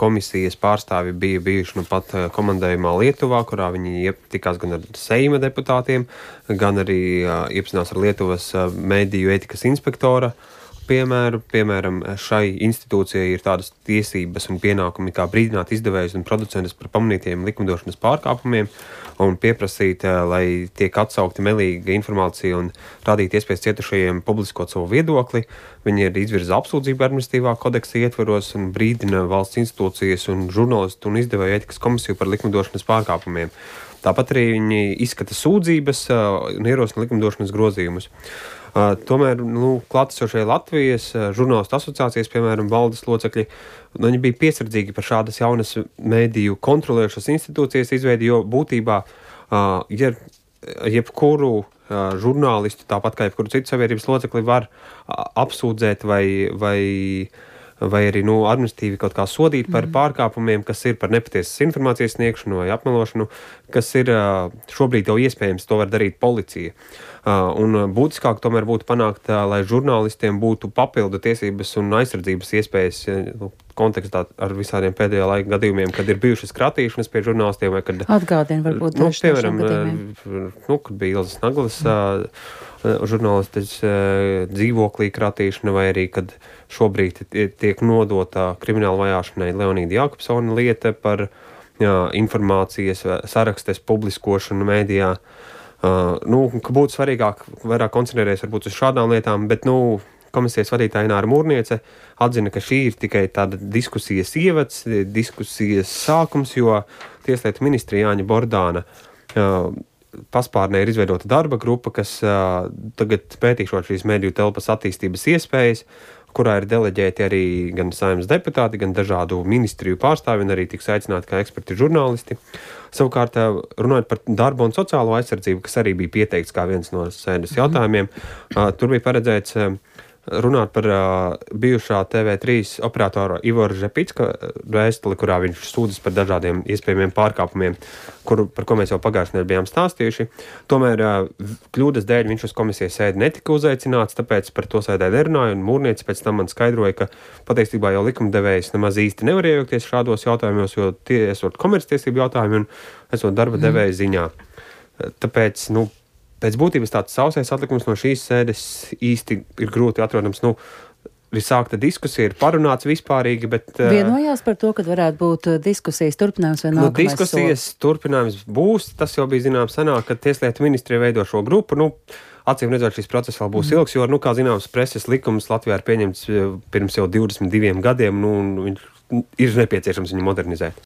komisijas pārstāvi bija bijuši pat komandējumā Lietuvā, kurā viņi tikās gan ar Seima deputātiem, gan arī iepazinās ar Lietuvas mediju ētikas inspektora piemēru. Piemēram, šai institūcijai ir tādas tiesības un pienākumi kā brīdināt izdevējus un producentus par pamanītiem likumdošanas pārkāpumiem un pieprasīt, lai tiek atsaukti melīga informācija un rādīt iespējas cietušajiem publiskot savu viedokli. Viņi ir izvirza apsūdzību administratīvā kodeksa ietvaros un brīdina valsts institūcijas un žurnālistu un izdevēju ētikas komisiju par likumdošanas pārkāpumiem. Tāpat arī viņi izskata sūdzības un ierosina likumdošanas grozījumus. Tomēr klātesošie Latvijas žurnālistu asociācijas, piemēram, valdes locekļi, viņi bija piesardzīgi par šādas jaunas mediju kontrolējušas institūcijas izveidi, jo būtībā, ja jebkuru žurnālistu, tāpat kā jebkuru citu sabiedrības locekli, var apsūdzēt vai arī administratīvi kaut kā sodīt par pārkāpumiem, kas ir par nepatiesas informācijas sniegšanu vai apmelošanu, kas ir šobrīd jau iespējams, to var darīt policija. Un būtiskāk tomēr būtu panākt, lai žurnālistiem būtu papildu tiesības un aizsardzības iespējas kontekstā ar visādiem pēdējā laika gadījumiem, kad ir bijušas kratīšanas pie žurnālistiem vai kad... Atgādina varbūt daži no šiem gadījumiem. Kad bija Ilzas Naglas žurnālistes dzīvoklī kratīšana vai arī, kad šobrīd tiek nodota krimināla vajāšanai Leonīda Jākopsona lieta par informācijas sarakstes publiskošanu mēdījā. Ka būtu svarīgāk vairāk koncentrēties varbūt uz šādām lietām, bet komisijas vadītāja Ināra Mūrniece atzina, ka šī ir tikai tāda diskusijas ievads, diskusijas sākums, jo Tieslietu ministra Jāņa Bordāna paspārnē ir izveidota darba grupa, kas tagad pētīšot šīs mediju telpas attīstības iespējas, kurā ir deleģēti arī gan Saeimas deputāti, gan dažādu ministriju pārstāvi, un arī tiks aicināti kā eksperti žurnālisti. Savukārt, runājot par darba un sociālo aizsardzību, kas arī bija pieteikts kā viens no sēdes jautājumiem, tur bija paredzēts runāt par bijušā TV3 operatora Ivora Žepicka vēstuli, kurā viņš sūdzas par dažādiem iespējamiem pārkāpumiem, par ko mēs jau pagājušajā nedēļā bijām stāstījuši. Tomēr kļūdas dēļ viņš uz komisijas sēdi netika uzaicināts, tāpēc par to sēdē nerunāja, un Mūrniece pēc tam man skaidroja, ka patiesībā jau likumdevējs nemaz īsti nevar iejaukties šādos jautājumos, jo tie esot komerctiesību jautājumi un esot darba devēja ziņā. Tāpēc, pēc būtības tāds sausais atlikums no šīs sēdes īsti ir grūti atrodams. Ir sākta diskusija, ir parunāts vispārīgi, bet... Vienojās par to, kad varētu būt diskusijas turpinājums vai nākamais diskusijas turpinājums būs, tas jau bija zināms senāk, kad Tieslietu ministrija veido šo grupu. Acīm redzot, šis process vēl būs ilgs, jo, kā zināms, preses likums Latvijā ir pieņemts pirms jau 22 gadiem, un viņš ir nepieciešams viņu modernizēt.